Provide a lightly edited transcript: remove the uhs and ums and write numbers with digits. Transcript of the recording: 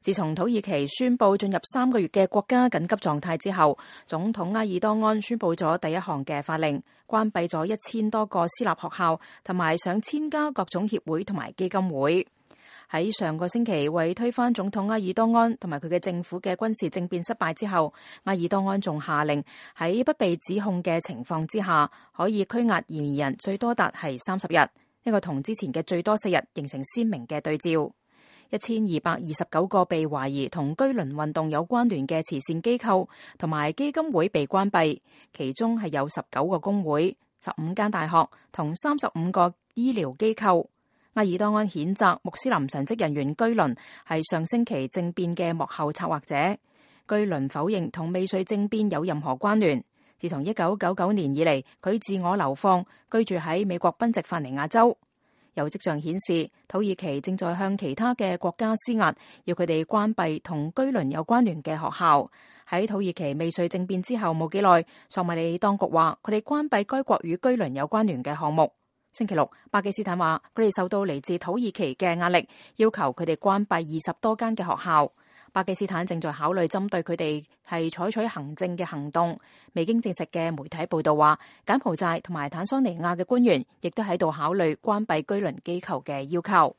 自從土耳其宣布進入3個月嘅國家緊急狀態之後，總統埃爾多安宣布咗第一項嘅法令，關閉咗1000多個私立學校同埋上千家各種協會同埋基金會。喺上個星期為推翻總統埃爾多安同埋佢嘅政府嘅軍事政變失敗之後，埃爾多安仲下令喺不被指控嘅情況之下，可以拘押嫌疑人最多達係30日，呢個同之前嘅最多4日形成鮮明嘅對照。1229個被懷疑同居輪運動有關聯嘅慈善機構同埋基金會被關閉，其中係有19個工會、15間大學同35個醫療機構。埃爾多安譴責穆斯林神職人員居輪係上星期政變嘅幕後策劃者。居輪否認同未遂政變有任何關聯。自從1999年以嚟，佢自我流放，居住喺美國賓夕法尼亞州。有跡象顯示，土耳其正在向其他嘅國家施壓，要佢哋關閉同居輪有關聯嘅學校。喺土耳其未遂政變之後冇幾耐，索馬里當局話佢哋關閉該國與居輪有關聯嘅項目。星期六，巴基斯坦話佢哋受到嚟自土耳其嘅壓力，要求佢哋關閉20多間嘅學校。巴基斯坦正在考慮針對佢哋係採取行政嘅行動。未經證實嘅媒體報道話，柬埔寨同埋坦桑尼亞嘅官員亦都喺度考慮關閉居輪機構嘅要求。